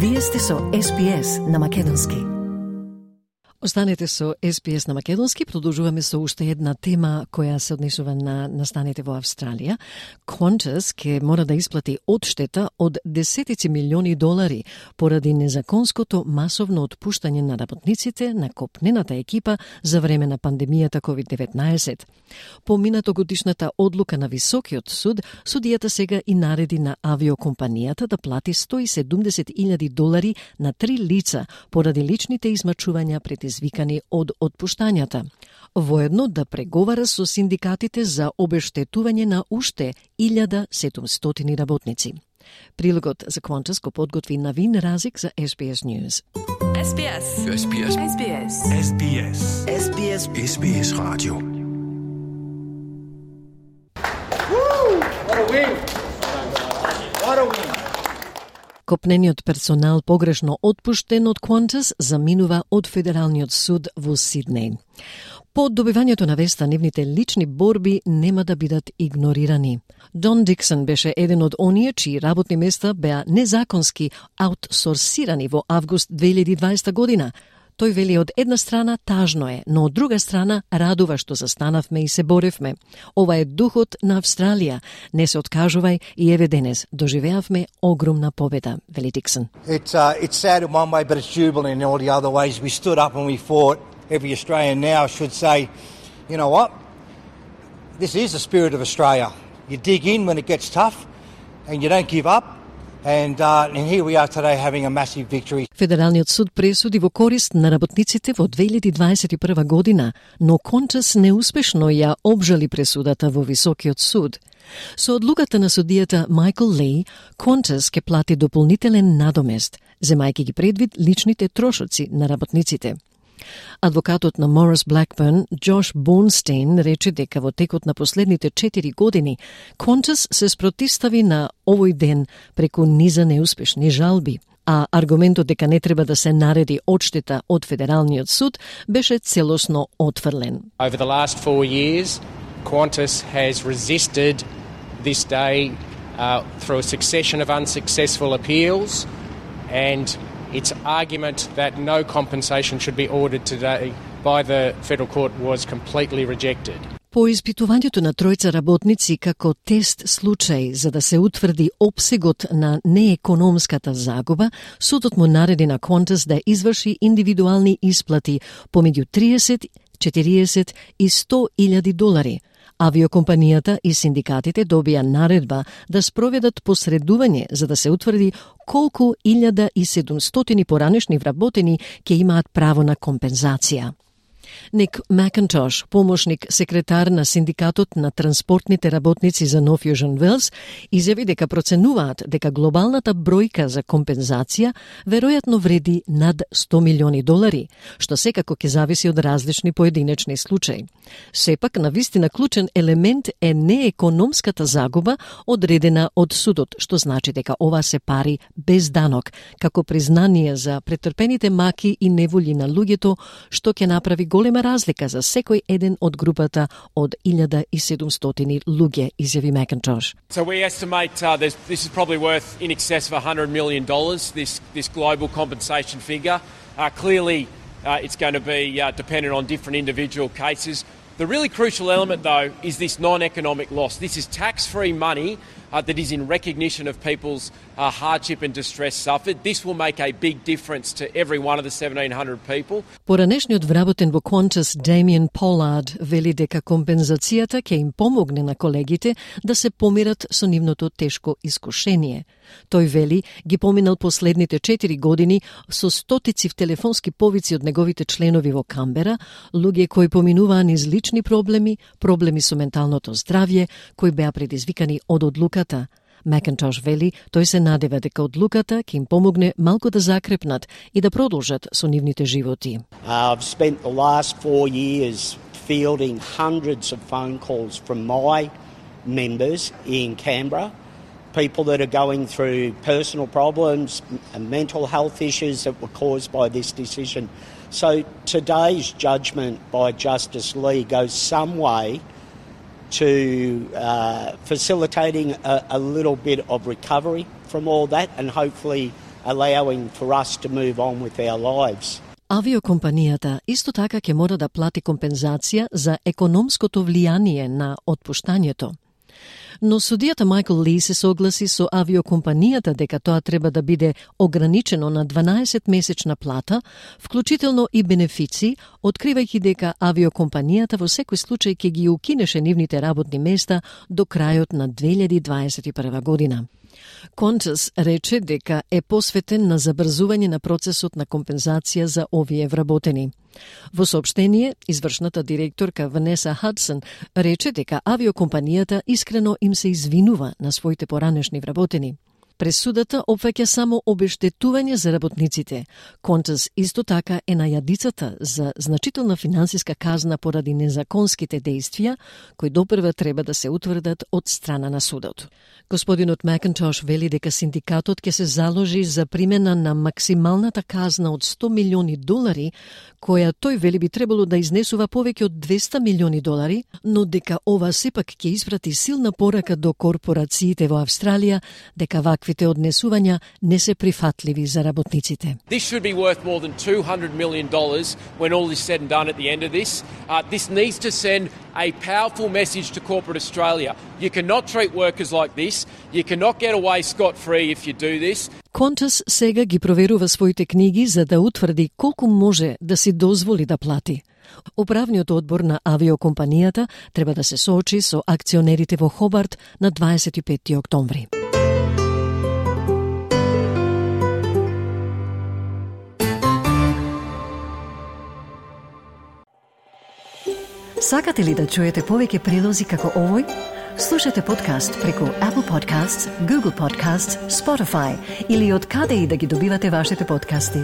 Вие сте со SPS на македонски. Останете со SPS на македонски. Продолжуваме со уште една тема која се однесува на настаните во Австралија. Qantas ке мора да исплати одштета од десетици милиони долари поради незаконското масовно отпуштање на работниците на копнената екипа за време на пандемијата COVID-19. По минатогодишната одлука на Високиот суд, судијата сега и нареди на авиокомпанијата да плати $170,000 на 3 лица поради личните измачувања предизвикани од отпуштањата. Воедно да преговара со синдикатите за обештетување на уште 1700 работници. Прилогот за Qantas го подготви Навин Разик за SBS News. SBS. SBS. SBS. SBS. SBS. SBS Radio. What a win! What a win! Копнениот персонал погрешно отпуштен од Qantas заминува од Федералниот суд во Сиднеј. По добивањето на веста, нивните лични борби нема да бидат игнорирани. Дон Диксон беше еден од оние чии работни места беа незаконски аутсорсирани во август 2020 година. Тој вели од една страна тажно е, но од друга страна радува што застанавме и се боревме. Ова е духот на Австралија. Не се откажувај и еве денес доживеавме огромна победа, вели Диксон. It's sad in one way, but it's jubilant in all the other ways. We stood up and we fought. Every Australian now should say, you know what? This is the spirit of Australia. You dig in when it gets tough and you don't give up. And here we are today having a massive victory. Федералниот суд пресуди во корист на работниците во 2021 година, но Qantas неуспешно ја обжали пресудата во Високиот суд. Со одлуката на судијата Майкл Ли, Qantas ке плати дополнителен надомест, земајќи ги предвид личните трошоци на работниците. Адвокатот на Морис Блакбърн, Джош Бонстейн, рече дека во текот на последните 4 години Qantas се спротивстави на овој ден преку низа неуспешни жалби, а аргументот дека не треба да се нареди одштета од Федералниот суд беше целосно отфрлен. Over the last 4 years, Qantas has resisted this day through a succession of unsuccessful appeals, and its argument that no compensation should be ordered today by the Federal Court was completely rejected. По испитувањето на тројца работници како тест случај за да се утврди опсегот на неекономската загуба, судот му нареди на Qantas да изврши индивидуални исплати помеѓу 30, 40 и $100,000. Авиокомпанијата и синдикатите добија наредба да спроведат посредување за да се утврди колку 1700 поранешни вработени ќе имаат право на компензација. Ник Макинтош, помошник секретар на синдикатот на транспортните работници за North Fusion Wales, изјави дека проценуваат дека глобалната бројка за компензација веројатно вреди над $100 милиони, што секако ќе зависи од различни поединечни случаи. Сепак, навистина клучен елемент е неекономската загуба одредена од судот, што значи дека ова се пари без данок, како признание за претрпените маки и неволји на луѓето, што ќе направи голема разлика за секој еден од групата од 1700 луѓе, изјави Макинтош. So we estimate this is probably worth in excess of $100 million, this global compensation figure. Clearly, it's going to be dependent on different individual cases. The really crucial element, though, is this non-economic loss. This is tax-free money that is in recognition of people's hardship and distress suffered. This will make a big difference to every one of the 1,700 people. Поранешниот вработен во Qantas Damien Pollard вели дека компензацијата ќе им помогне на колегите да се помират со нивното тешко искушение. Тој вели ги поминал последните 4 години со стотици телефонски повици од неговите членови во Камбера, луѓе кои поминуваа низ лични проблеми, проблеми со менталното здравје, кои беа предизвикани од одлуката. Макинтош вели, тој се надева дека одлуката ќе им помогне малку да закрепнат и да продолжат со нивните животи. I've spent the last 4 years fielding hundreds of phone calls from my members in Canberra, people that are going through personal problems and mental health issues that were caused by this decision. So today's judgment by Justice Lee goes some way to facilitating a little bit of recovery from all that and hopefully allowing for us to move on with our lives. Авиокомпанијата исто така ќе мора да плати компензација за економското влијание на отпуштањето. Но судијата Майкл Ли се согласи со авиокомпанијата дека тоа треба да биде ограничено на 12-месечна плата, вклучително и бенефици, откривајќи дека авиокомпанијата во секој случај ќе ги укинеше нивните работни места до крајот на 2021 година. Qantas рече дека е посветен на забрзување на процесот на компензација за овие вработени. Во соопштение, извршната директорка Ванеса Хадсон рече дека авиокомпанијата искрено им се извинува на своите поранешни вработени. Пресудата опфаќа само обештетување за работниците. Qantas исто така е на јадицата за значителна финансиска казна поради незаконските дејствија, кои допрва треба да се утврдат од страна на судот. Господинот Макинтош вели дека синдикатот ќе се заложи за примена на максималната казна од $100 милиони, која тој вели би требало да изнесува повеќе од $200 милиони, но дека ова сепак ќе испрати силна порака до корпорациите во Австралија дека ваквите однесувања не се прифатливи за работниците. This should be worth more than $200 million when all is said and done at the end of this. This needs to send a powerful message to corporate Australia. You cannot treat workers like this. You cannot get away scot-free if you do this. Qantas сега ги проверува своите книги за да утврди колку може да си дозволи да плати. Управниот одбор на авиокомпанијата треба да се соочи со акционерите во Хобарт на 25 октомври. Сакате ли да чуете повеќе прилози како овој? Слушате подкаст преку Apple Podcasts, Google Podcasts, Spotify или од каде и да ги добивате вашите подкасти.